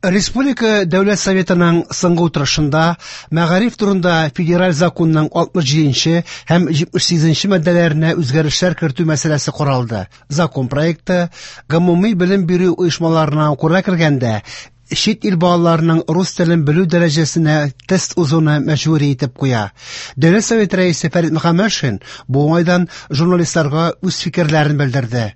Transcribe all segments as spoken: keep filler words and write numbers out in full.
Республика Дәүләт Советының соңгы утырышында мәгариф турында федераль законның алтмыш җиденче һәм җитмеш сигезенче маддәләренә үзгәрешләр кертү мәсьәләсе каралды. Закон проекты гомуми белем бирү оешмаларына укырга кергәндә чит ил балаларының рус телен белү дәрәҗәсенә тест узуны мәҗбүри итеп куя. Дәүләт Советы рәисе Фәрит Мөхәммәтшин бу уңайдан журналистларга үз фикерләрен белдерде.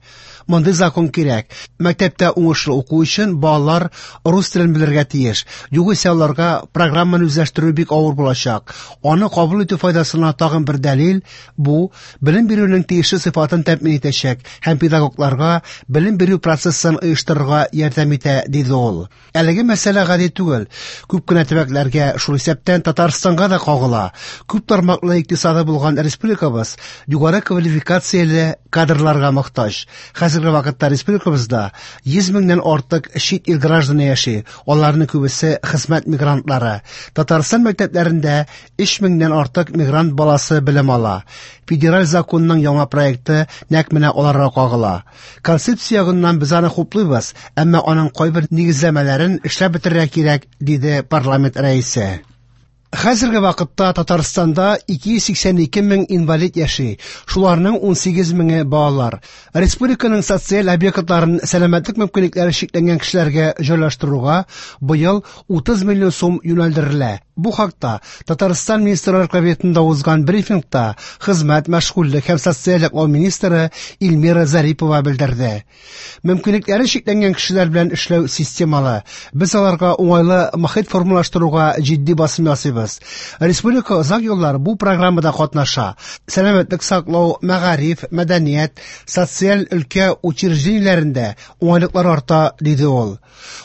Мондый закон кирәк. Мәктәптә уңышлы уку өчен балалар рус телен белергә тиеш. Югыйсә аларга программаны үзләштерү бик авыр булачак. Аны кабул итү файдасына тагын бер дәлил бу белем бирүнең тиешле сыйфатын тәэмин итәчәк һәм педагогларга белем бирү процессын оештырырга ярдәм итә, диде ул. Әлеге мәсьәлә гади түгел. Күп кенә төбәкләргә, шул исәптән Татарстанга да кагыла. Күп тармаклы икътисады булган республикабыз югары квалификацияле кадрларга мохтаҗ. Хәзерге вакытта республикабызда йөз меңнән артык чит ил гражданы яши. Аларның күбесе хезмәт мигрантлары. Татарстан мәктәпләрендә өч меңнән артык мигрант баласы белем ала. Федераль законның яңа проекты нәкъ менә аларга кагыла. Концепция ягыннан без аны хуплыйбыз, әмма аның кайбер нигезләмәләрен эшләп бетерергә кирәк, диде парламент рәисе. Хәзерге вакытта Татарстанда ике йөз сиксән ике мең инвалид яши, шуларның ун сигез меңе балалар. Республиканың социаль объектларын сәламәтлек мөмкинлекләре чикләнгән кешеләргә җайлаштыруга быел утыз миллион сум юнәлдерелә. Бу хакта Татарстан Министрлар Кабинетында узган брифингта хезмәт, мәшгульлек һәм социаль яклау министры Эльмира Зарипова белдерде. Мөмкинлекләре чикләнгән кешеләр белән эшләү системалы. Без аларга уңайлы мохит формалаштыруга җитди басым ясыйбыз. Республика озак еллар бу программада катнаша. Сәламәтлек саклау, мәгариф, мәдәният, социаль өлкә учреждениеләрендә уңайлыклар арта, диде ул.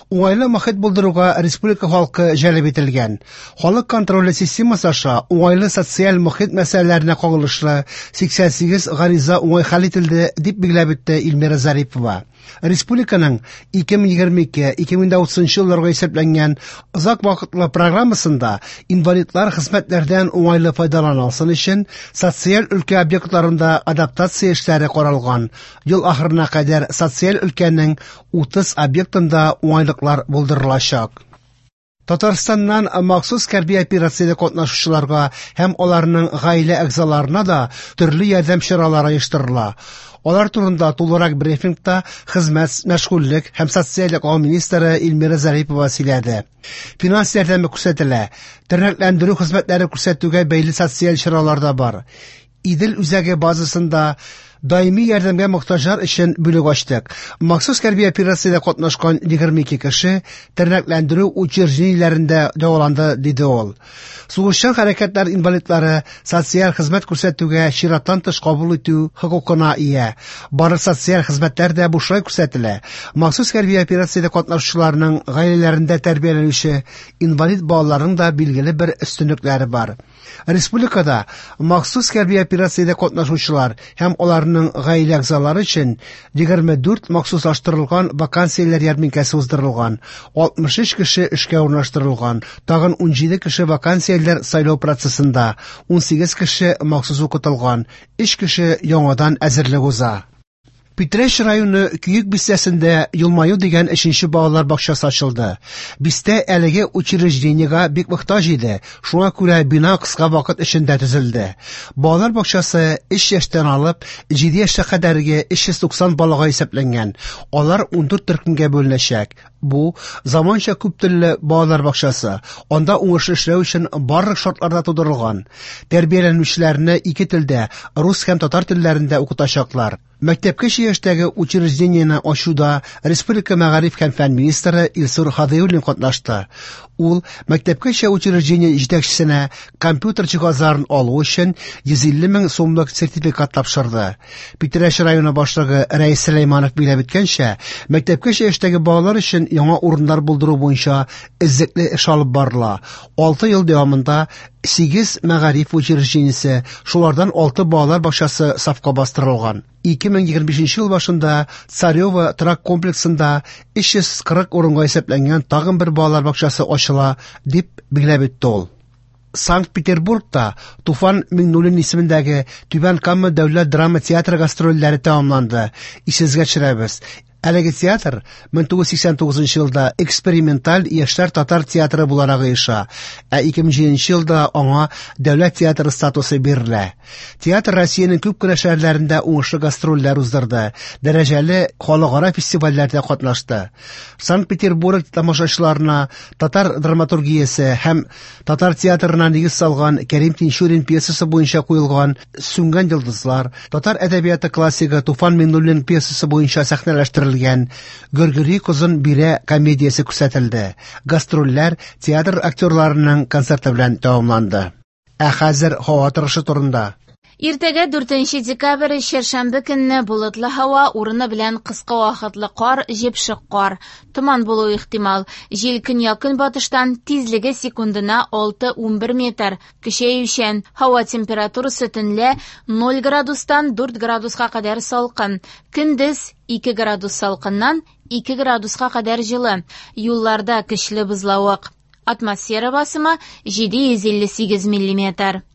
Уңайлы мохит булдыруга республика халкы җәлеп ителгән. Халык контроле системасы аша уңайлы социаль мохит мәсьәләләренә кагылышлы сиксән сигез гариза уңай хәл ителде, дип билгеләп үтте Эльмира Зарипова. Республиканың ике мең егерме ике, ике мең утызынчы елларга исәпләнгән озак вакытлы программасында инвалидлар хезмәтләрдән уңайлы файдалана алсын өчен социаль өлкә объектларында адаптация эшләре каралган. Ел ахырына кадәр социаль өлкәнең утыз объектында уңайлыклар булдырылачак. Татарстаннан махсус хәрби операциядә катнашучыларга һәм аларның гаилә әгъзаларына да төрле ярдәм чаралары оештырыла. Алар турында тулырак брифингта хезмәт, мәшгульлек һәм социаль яклау министры Эльмира Зарипова сөйләде. Финанс ярдәме күрсәтелә, тернәкләндерү хезмәтләре күрсәтүгә бәйле социаль чаралар да бар. Идел үзәге базасында даими ярдәмгә мохтаҗлар өчен бүлек ачтык. Махсус хәрби операциядә катнашкан егерме ике кеше тернәкләндерү учреждениеләрендә дәваланды, диде ул. Сугышчан хәрәкәтләр инвалидлары социаль хезмәт күрсәтүгә чираттан тыш кабул итү хокукына ия. Барлык социаль хезмәтләр дә бушлай күрсәтелә. Махсус хәрби операциядә катнашучыларның гаиләләрендә тәрбияләнүче инвалид балаларның да билгеле бер өстенлекләре бар. Республикада махсус хәрби операциядә катнашучылар һәм аларның гаилә әгъзалары өчен егерме дүрт махсуслаштырылган вакансияләр ярминкәсе уздырылган, алтмыш өч кеше эшкә урнаштырылган, тагын ун җиде кеше вакансияләр сайлау процессында, ун сигез кеше махсус укытылган, өч кеше яңадан әзерлек уза. Питрәч районы Көек бистәсендә Елмаю дигән өченче балалар бакчасы ачылды. Бистә әлеге учреждениегә бик мохтаҗ иде, шуңа күрә бина кыска вакыт эчендә төзелде. Балалар бакчасы өч яшьтән алып җиде яшькә кадәрге өч йөз туксан балага исәпләнгән. Алар ундүрт төркемгә бүленәчәк. Бу заманча күп телле балалар бакчасы. Анда уңышлы эшләү өчен барлык шартлар да тудырылган. Тәрбияләнүчеләрне ике телдә, рус һәм татар телләрендә укытачаклар. Мәктәпкәчә яшьтәге учреждениене ачуда Республика мәгариф һәм фән министры Илсур Һадиуллин катнашты. Ул мәктәпкәчә учреждение җитәкчесенә компьютер җиһазларын алу өчен йөз илле мең сумлык сертификат тапшырды. Питрәч районы башлыгы Рәис Сөләйманов билгеләп үткәнчә, мәктәпкәчә яшьтәге балалар өчен яңа урыннар булдыру буенча эзлекле эш алып барыла. Алты ел дәвамында сигез мәгариф учреждениесе, шулардан алты балалар бакчасы сафка бастырылган. Ике мең егерме бишенче ел башында Царево торак комплексында өч йөз кырык урынга исәпләнгән тагын бер балалар бакчасы ачыла, дип билгеләп үтте ул. Санкт-Петербургта Туфан Миңнуллин исемендәге Түбән Кама дәүләт драма театры гастрольләре тәмамланды. Исегезгә төшерәбез. Әлеге театр мең тугыз йөз сиксән тугызынчы елда эксперименталь яшьләр татар театры буларак оеша, ә ике мең җиденче елда аңа дәүләт театры статусы бирелә. Театр Россиянең күп кенә шәһәрләрендә уңышлы гастрольләр уздырды, дәрәҗәле халыкара фестивальләрдә катнашты. Санкт-Петербург тамашачыларына татар драматургиясе һәм татар театрына нигез салган Кәрим Тинчурин пьесасы буенча куелган Сүнгән йолдызлар, татар әдәбияты классигы Туфан Миңнуллин пьесасы буенча сәхнәләштерелгән Гөргөри кызын бирә комедиясе күрсәтелде. Гастрольләр театр актерларының концерты белән тәмамланды. Ә хәзер һава торышы турында. Иртәгә дүртенче декабрь чәршәмбе көнне болытлы һава, урыны белән кыска вакытлы кар, җепшек кар, томан булуы ихтимал. Җил көньяк-көнбатыштан, тизлеге секундына алты унбер метр, көчәючән. Һава температурасы төнлә ноль градустан дүрт градуска кадәр салкын, көндез ике градус салкыннан ике градуска кадәр җылы. Юлларда көчле бозлавык. Атмосфера басымы җиде йөз илле сигез миллиметр.